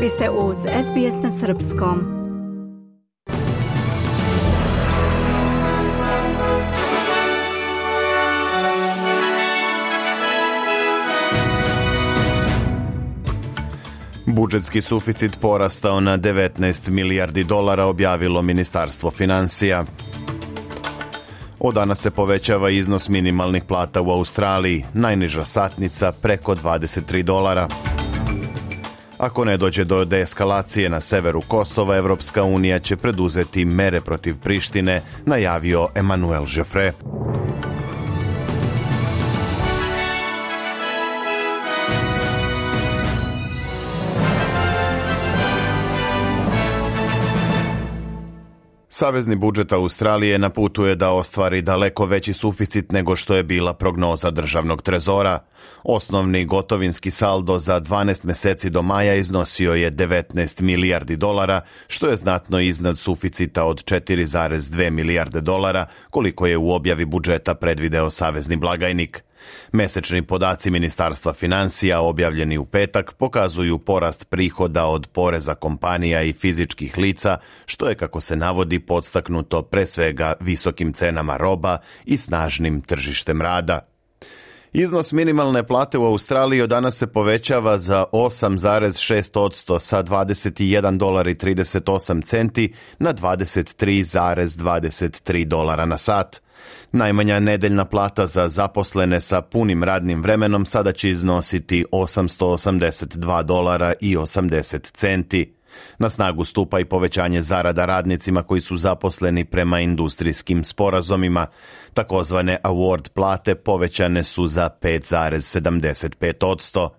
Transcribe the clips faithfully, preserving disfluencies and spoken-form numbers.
Vi ste uz S B S na srpskom. Budžetski suficit porastao na devetnaest milijardi dolara, objavilo Ministarstvo financija. Od danas se povećava iznos minimalnih plata u Australiji, najniža satnica preko dvadeset tri dolara. Ako ne dođe do deeskalacije na severu Kosova, Evropska unija će preduzeti mere protiv Prištine, najavio Emmanuel Jeffrey. Savezni budžet Australije na putu je da ostvari daleko veći suficit nego što je bila prognoza državnog trezora. Osnovni gotovinski saldo za dvanaest meseci do maja iznosio je devetnaest milijardi dolara, što je znatno iznad suficita od četiri zarez dve milijarde dolara, koliko je u objavi budžeta predvideo savezni blagajnik. Mesečni podaci Ministarstva financija objavljeni u petak pokazuju porast prihoda od poreza kompanija i fizičkih lica, što je, kako se navodi, podstaknuto pre svega visokim cenama roba i snažnim tržištem rada. Iznos minimalne plate u Australiji od danas se povećava za osam zarez šest posto sa dvadeset jedan dolar i trideset osam centi na dvadeset tri zarez dvadeset tri dolara na sat. Najmanja nedeljna plata za zaposlene sa punim radnim vremenom sada će iznositi osamsto osamdeset dva dolara i osamdeset centi. Na snagu stupa i povećanje zarada radnicima koji su zaposleni prema industrijskim sporazumima. Takozvane award plate povećane su za pet zarez sedamdeset pet posto.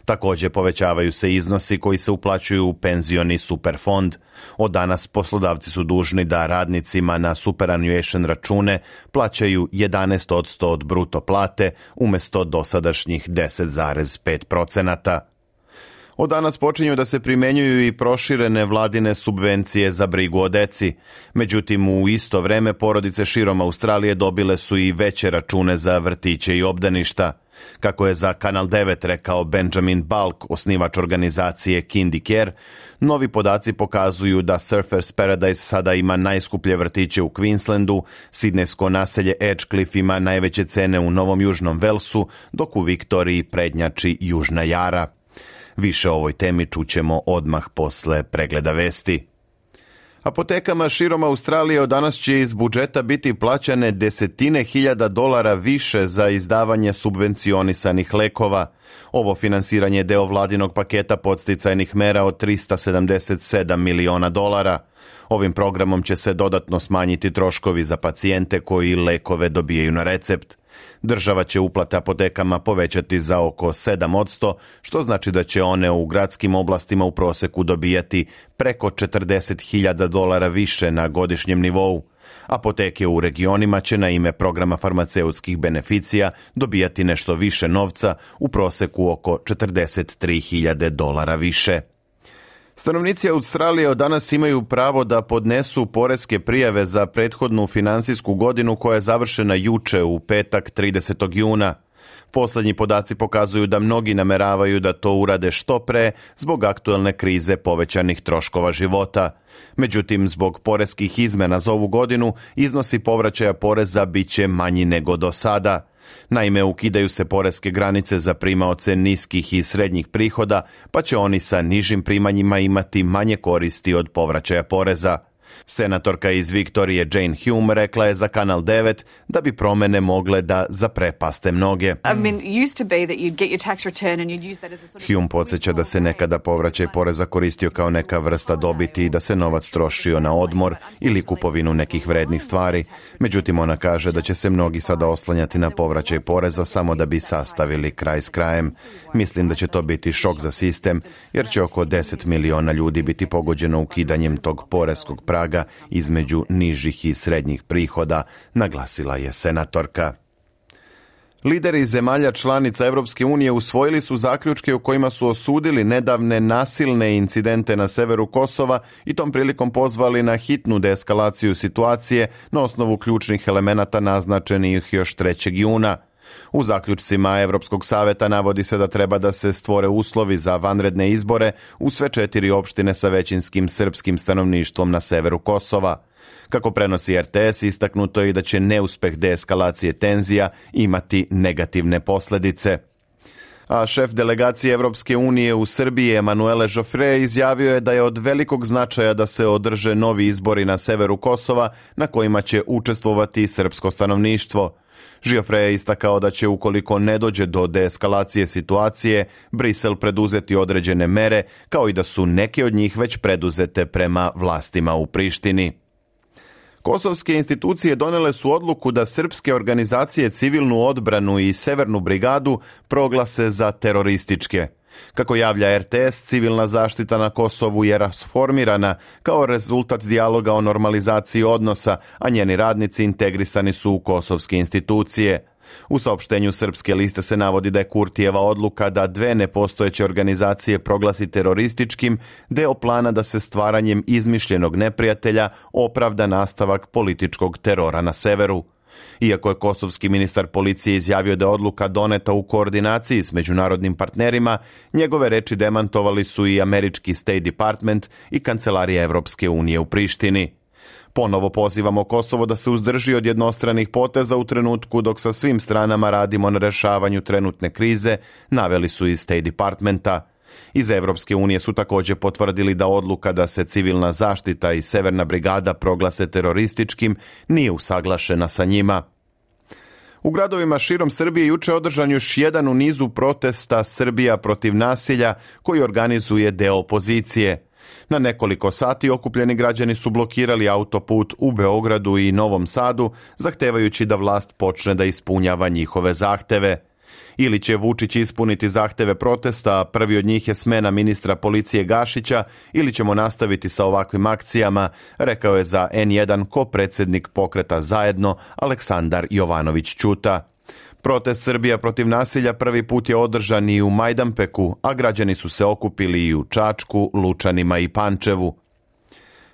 Također povećavaju se iznosi koji se uplaćuju u penzioni superfond. Od danas poslodavci su dužni da radnicima na superannuation račune plaćaju jedanaest posto od bruto plate umjesto dosadašnjih deset zarez pet posto. Od danas počinju da se primjenjuju i proširene vladine subvencije za brigu o deci. Međutim, u isto vreme porodice širom Australije dobile su i veće račune za vrtiće i obdaništa. Kako je za Kanal devet rekao Benjamin Balk, osnivač organizacije Kindy Care, novi podaci pokazuju da Surfers Paradise sada ima najskuplje vrtiće u Queenslandu, sidnejsko naselje Edgecliff ima najveće cene u Novom Južnom Velsu, dok u Viktoriji prednjači Južna Jara. Više o ovoj temi čućemo odmah posle pregleda vesti. Apotekama širom Australije od danas će iz budžeta biti plaćane desetine hiljada dolara više za izdavanje subvencionisanih lekova. Ovo finansiranje je deo vladinog paketa podsticajnih mera od trista sedamdeset sedam miliona dolara. Ovim programom će se dodatno smanjiti troškovi za pacijente koji lekove dobijaju na recept. Država će uplate apotekama povećati za oko sedam posto, što znači da će one u gradskim oblastima u proseku dobijati preko četrdeset hiljada dolara više na godišnjem nivou. Apoteke u regionima će na ime programa farmaceutskih beneficija dobijati nešto više novca, u proseku oko četrdeset tri hiljade dolara više. Stanovnici Australije od danas imaju pravo da podnesu poreske prijave za prethodnu finansijsku godinu koja je završena juče u petak tridesetog juna. Poslednji podaci pokazuju da mnogi nameravaju da to urade što pre zbog aktuelne krize povećanih troškova života. Međutim, zbog poreskih izmena za ovu godinu, iznosi povraćaja poreza bit će manji nego do sada. Naime, ukidaju se poreske granice za primaoce niskih i srednjih prihoda, pa će oni sa nižim primanjima imati manje koristi od povraćaja poreza. Senatorka iz Viktorije Jane Hume rekla je za Kanal devet da bi promene mogle da zaprepaste mnoge. Hume podsjeća da se nekada povraćaj poreza koristio kao neka vrsta dobiti i da se novac trošio na odmor ili kupovinu nekih vrednih stvari. Međutim, ona kaže da će se mnogi sada oslanjati na povraćaj poreza samo da bi sastavili kraj s krajem. Mislim da će to biti šok za sistem, jer će oko deset miliona ljudi biti pogođeno ukidanjem tog poreskog praga između nižih i srednjih prihoda, naglasila je senatorka. Lideri zemalja članica Evropske unije usvojili su zaključke u kojima su osudili nedavne nasilne incidente na severu Kosova i tom prilikom pozvali na hitnu deeskalaciju situacije na osnovu ključnih elemenata naznačenih još trećeg juna. U zaključcima Evropskog saveta navodi se da treba da se stvore uslovi za vanredne izbore u sve četiri opštine sa većinskim srpskim stanovništvom na severu Kosova. Kako prenosi R T S, istaknuto je i da će neuspeh deeskalacije tenzija imati negativne posledice. A šef delegacije Evropske unije u Srbiji Emanuele Joffre izjavio je da je od velikog značaja da se održe novi izbori na severu Kosova na kojima će učestvovati srpsko stanovništvo. Joffre je istakao da će, ukoliko ne dođe do deeskalacije situacije, Brisel preduzeti određene mere, kao i da su neke od njih već preduzete prema vlastima u Prištini. Kosovske institucije donele su odluku da srpske organizacije Civilnu odbranu i Severnu brigadu proglase za terorističke. Kako javlja R T S, civilna zaštita na Kosovu je rasformirana kao rezultat dijaloga o normalizaciji odnosa, a njeni radnici integrisani su u kosovske institucije. U saopštenju Srpske liste se navodi da je Kurtijeva odluka da dve nepostojeće organizacije proglasi terorističkim deo plana da se stvaranjem izmišljenog neprijatelja opravda nastavak političkog terora na severu. Iako je kosovski ministar policije izjavio da je odluka doneta u koordinaciji s međunarodnim partnerima, njegove reči demantovali su i američki State Department i Kancelarija Evropske unije u Prištini. Ponovo pozivamo Kosovo da se uzdrži od jednostranih poteza u trenutku dok sa svim stranama radimo na rešavanju trenutne krize, naveli su iz State Departmenta. Iz Evropske unije su također potvrdili da odluka da se civilna zaštita i Severna brigada proglase terorističkim nije usaglašena sa njima. U gradovima širom Srbije juče održan još jedan u nizu protesta Srbija protiv nasilja koji organizuje deo opozicije. Na nekoliko sati okupljeni građani su blokirali autoput u Beogradu i Novom Sadu, zahtevajući da vlast počne da ispunjava njihove zahteve. Ili će Vučić ispuniti zahteve protesta, a prvi od njih je smena ministra policije Gašića, ili ćemo nastaviti sa ovakvim akcijama, rekao je za N jedan ko-predsjednik pokreta Zajedno Aleksandar Jovanović Ćuta. Protest Srbija protiv nasilja prvi put je održan i u Majdanpeku, a građani su se okupili i u Čačku, Lučanima i Pančevu.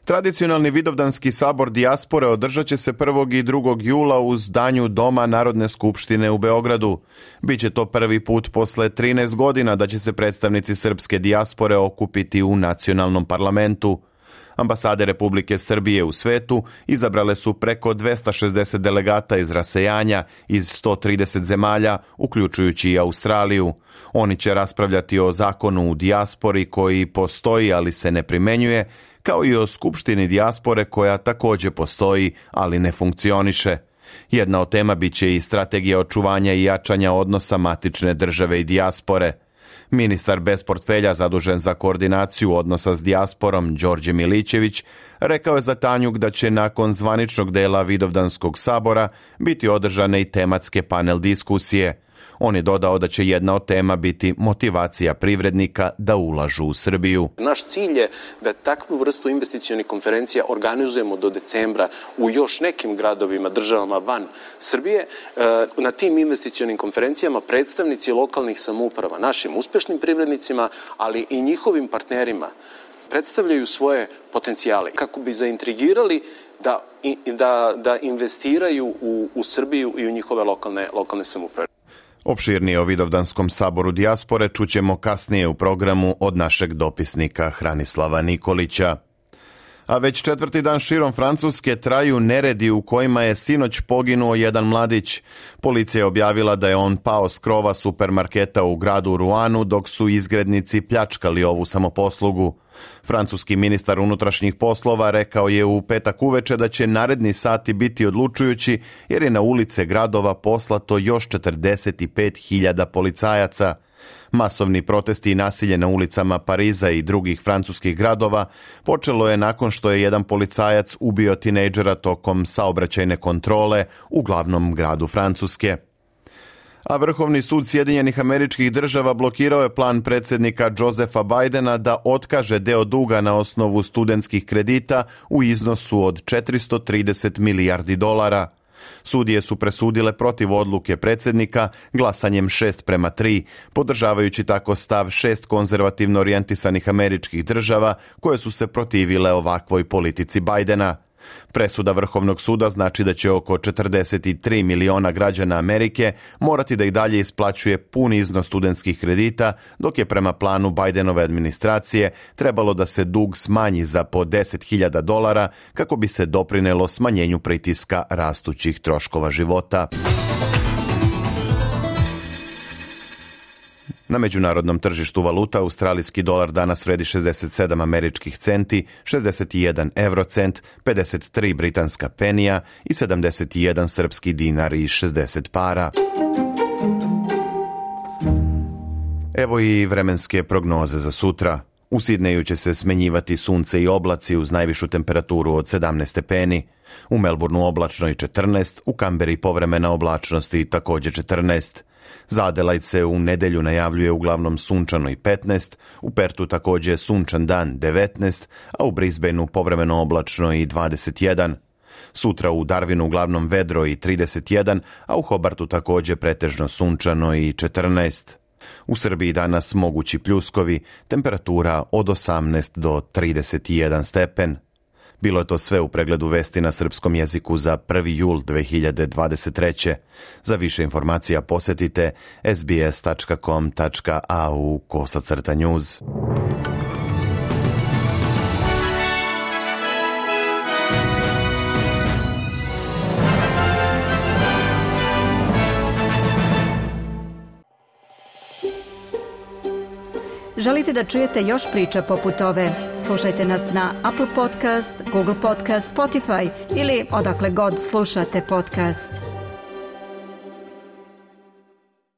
Tradicionalni Vidovdanski sabor dijaspore održat će se prvog i drugog jula u zdanju Doma Narodne skupštine u Beogradu. Biće to prvi put posle trinaest godina da će se predstavnici srpske dijaspore okupiti u nacionalnom parlamentu. Ambasade Republike Srbije u svetu izabrale su preko dvesta šezdeset delegata iz rasejanja iz sto trideset zemalja, uključujući i Australiju. Oni će raspravljati o zakonu u dijaspori koji postoji, ali se ne primenjuje, kao i o skupštini dijaspore koja također postoji, ali ne funkcioniše. Jedna od tema biće i strategija očuvanja i jačanja odnosa matične države i dijaspore. Ministar bez portfelja zadužen za koordinaciju odnosa s dijasporom, Đorđe Milićević, rekao je za Tanjug da će nakon zvaničnog dela Vidovdanskog sabora biti održane i tematske panel diskusije. On je dodao da će jedna od tema biti motivacija privrednika da ulažu u Srbiju. Naš cilj je da takvu vrstu investicionih konferencija organizujemo do decembra u još nekim gradovima, državama van Srbije. Na tim investicionim konferencijama predstavnici lokalnih samouprava, našim uspešnim privrednicima, ali i njihovim partnerima, predstavljaju svoje potencijale kako bi zaintrigirali da, da, da investiraju u, u Srbiju i u njihove lokalne, lokalne samouprave. Opširnije o Vidovdanskom saboru dijaspore čućemo kasnije u programu od našeg dopisnika Hranislava Nikolića. A već četvrti dan širom Francuske traju neredi u kojima je sinoć poginuo jedan mladić. Policija je objavila da je on pao s krova supermarketa u gradu Ruanu dok su izgrednici pljačkali ovu samoposlugu. Francuski ministar unutrašnjih poslova rekao je u petak uveče da će naredni sati biti odlučujući jer je na ulice gradova poslato još četrdeset pet hiljada policajaca. Masovni protesti i nasilje na ulicama Pariza i drugih francuskih gradova počelo je nakon što je jedan policajac ubio tinejdžera tokom saobraćajne kontrole u glavnom gradu Francuske. A Vrhovni sud Sjedinjenih Američkih Država blokirao je plan predsjednika Josepha Bidena da otkaže deo duga na osnovu studentskih kredita u iznosu od četiristo trideset milijardi dolara. Sudije su presudile protiv odluke predsjednika glasanjem šest prema tri, podržavajući tako stav šest konzervativno orijentisanih američkih država koje su se protivile ovakvoj politici Bidena. Presuda Vrhovnog suda znači da će oko četrdeset tri miliona građana Amerike morati da i dalje isplaćuje pun iznos studentskih kredita, dok je prema planu Bidenove administracije trebalo da se dug smanji za po deset hiljada dolara kako bi se doprinelo smanjenju pritiska rastućih troškova života. Na međunarodnom tržištu valuta australijski dolar danas vredi šezdeset sedam američkih centi, šezdeset jedan eurocent, pedeset tri britanska penija i sedamdeset jedan srpski dinar i šezdeset para. Evo i vremenske prognoze za sutra. U Sidneju će se smenjivati sunce i oblaci uz najvišu temperaturu od sedamnaest stepeni. U Melbourneu oblačno i četrnaest, u Kamberi povremena oblačnost i također četrnaest. Za Adelaide se u nedelju najavljuje uglavnom sunčano i petnaest, u Pertu također sunčan dan devetnaest, a u Brisbaneu povremeno oblačno i dvadeset jedan. Sutra u Darwinu uglavnom vedro i trideset jedan, a u Hobartu također pretežno sunčano i četrnaest. U Srbiji danas mogući pljuskovi, temperatura od osamnaest do trideset jedan stepen. Bilo je to sve u pregledu vesti na srpskom jeziku za prvi jul dve hiljade dvadeset treće. Za više informacija posjetite es be es tačka com tačka a u kosacrta news. Želite da čujete još priča poput ove? Slušajte nas na Apple Podcast, Google Podcast, Spotify ili odakle god slušate podcast.